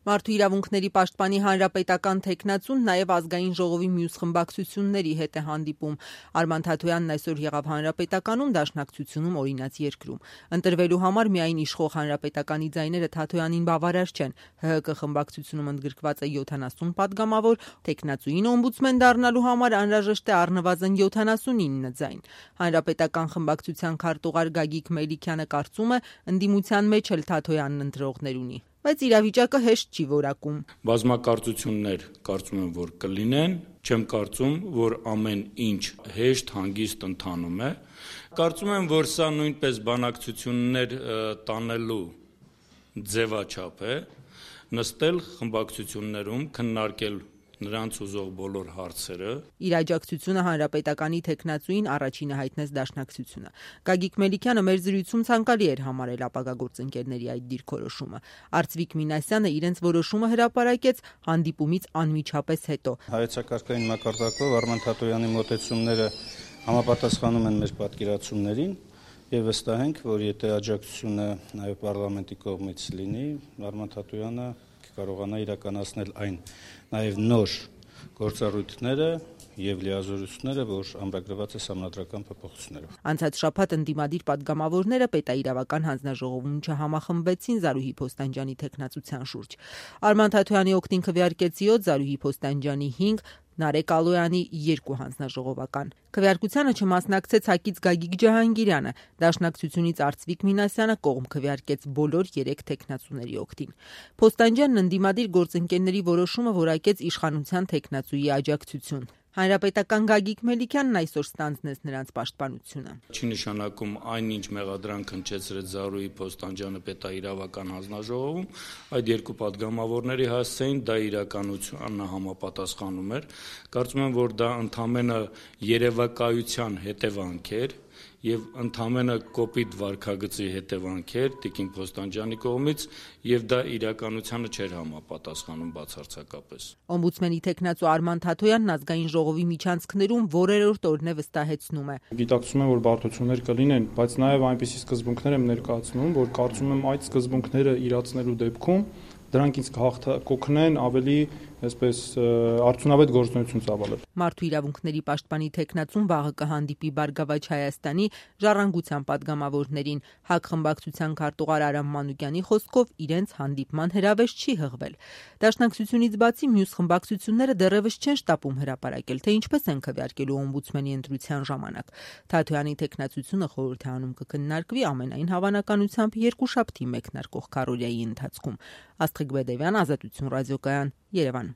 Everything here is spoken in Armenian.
Մարդու իրավունքների պաշտպանի հանրապետական թեկնածուն նաև ազգային ժողովի մյուս խմբակցությունների հետ է հանդիպում։ Արման Թաթոյանն այսօր եղավ Հանրապետականում, Դաշնակցությունում, Օրինաց երկրում։ Ընտրվելու համար միայն իշխող Հանրապետականի ձայները Թաթոյանին բավարար չեն։ ՀՀԿ խմբակցությունում ընդգրկված է 70 պատգամավոր, թեկնածուին օմբուդսմեն դառնալու համար անհրաժեշտ է առնվազն 79 ձայն։ Հանրապետական խմբակցության քարտուղար Գագիկ Մելիքյանը կարծում է, ընդդիմության մեջ էլ Թաթոյանն ընտրողներ ունի, բայց իրավիճակը հեշտ չի որակում։ Բազմակարծություններ կարծում եմ, որ կլինեն, չեմ կարծում, որ ամեն ինչ հեշտ, հանգիստ ընթանում է։ Կարծում եմ, որ սա նույնպես բանակցություններ տանելու ձևաչափ է, նստել խմբակցություններում, քննարկել նրանց ուզող բոլոր հարցերը։ Իր աջակցությունը Հանրապետականի թեկնածուին առաջինը հայտնեց Դաշնակցությունը։ Գագիկ Մելիքյանը մեր զրույցում ցանկալի էր համարել ապագա գործընկերների այդ դիրքորոշումը։ Արծվիկ Մինասյանը իրենց որոշումը հրապարակեց հանդիպումից անմիջապես հետո։ Հայեցակարգային մակարդակով Արման Թաթոյանի մոտեցումները համապատասխանում են մեր պատկերացումներին եւ վստահ ենք, որ եթե աջակցությունը նաեւ պարլամենտի կողմից լինի, Արման Թաթոյանը կարողանա իրականացնել այն նաեւ նոր գործառույթները եւ լիազորությունները, որ ամրագրված է սահմանադրական փոփոխություններով։ Անցած շաբաթ ընդդիմադիր պատգամավորները պետաիրավական հանձնաժողովում չհամախմբվեցին Զարուհի Փոստանջյանի թեկնածության շուրջ։ Արման Թաթոյանի օգտին քվեարկեց 7, Զարուհի Փոստանջյանի 5, Նարեկ Ալոյանի 2 հանձնաժողովական։ Քվեարկությանը չմասնակցեց ՀԱԿ-ից Գագիկ Ջահանգիրյանը, Դաշնակցությունից Արծվիկ Մինասյանը կողմ քվեարկեց բոլոր 3 թեկնածուների օգտին։ Փոստանջյանն ընդդիմադիր գործընկերների որոշումը որակեց իշխանության թեկնածուի աջակցություն։ Հանրապետական Գագիկ Մելիքյանն այսօր ստանձնեց նրանց պաշտպանությունը։ Չի նշանակում այնինչ մեղադրանք հնչեցրեց Զարուհի Փոստանջյանը պետաիրավական հանձնաժողովում, այդ երկու պատգամավորների հասցեին դա իրականությանը համապատասխանում էր։ Կարծում եմ, որ դա ընդամենը երևակայության հետևանք էր եւ ընդամենը կոպիտ վարքագծի հետևանք էր Տիկին Փոստանջյանի կողմից եւ դա իրականությանը չէր համապատասխանում բացարձակապես։ Օմբուդսմենի թեկնածու Արման Թաթոյանն ազգային ժողովի միջանցքներում որերորդ օրն է վստահեցնում է։ Գիտակցում եմ, որ բարդություններ կլինեն, բայց նաեւ այնպիսի սկզբունքներ եմ ներկայացնում, որ կարծում եմ այդ սկզբունքները իրացնելու դեպքում դրանք ինձ կօգնեն ավելի, այսպես, արդյունավետ գործունեություն ծավալել։ Մարդու իրավունքների պաշտպանի թեկնածուն վաղը կհանդիպի Բարգավաճ Հայաստանի Ժառանգության պատգամավորներին։ ՀԱԿ խմբակցության քարտուղար Արամ Մանուկյանի խոսքով իրենց հանդիպման հրավեր չի հղվել։ Դաշնակցությունից բացի մյուս խմբակցությունները դեռևս չեն շտապում հրապարակել, թե ինչպես են քվեարկելու օմբուդսմենի ընտրության ժամանակ։ Թաթոյանի թեկնածությունը խորհուրդ է անում կքննարկվի ամենայն հավանականությամբ երկուշաբթի մեկնարկող քարոզիայի ընթացքում։ Աստղիկ Բեդևյան, Ազատություն ռադիոկայան, Երևան։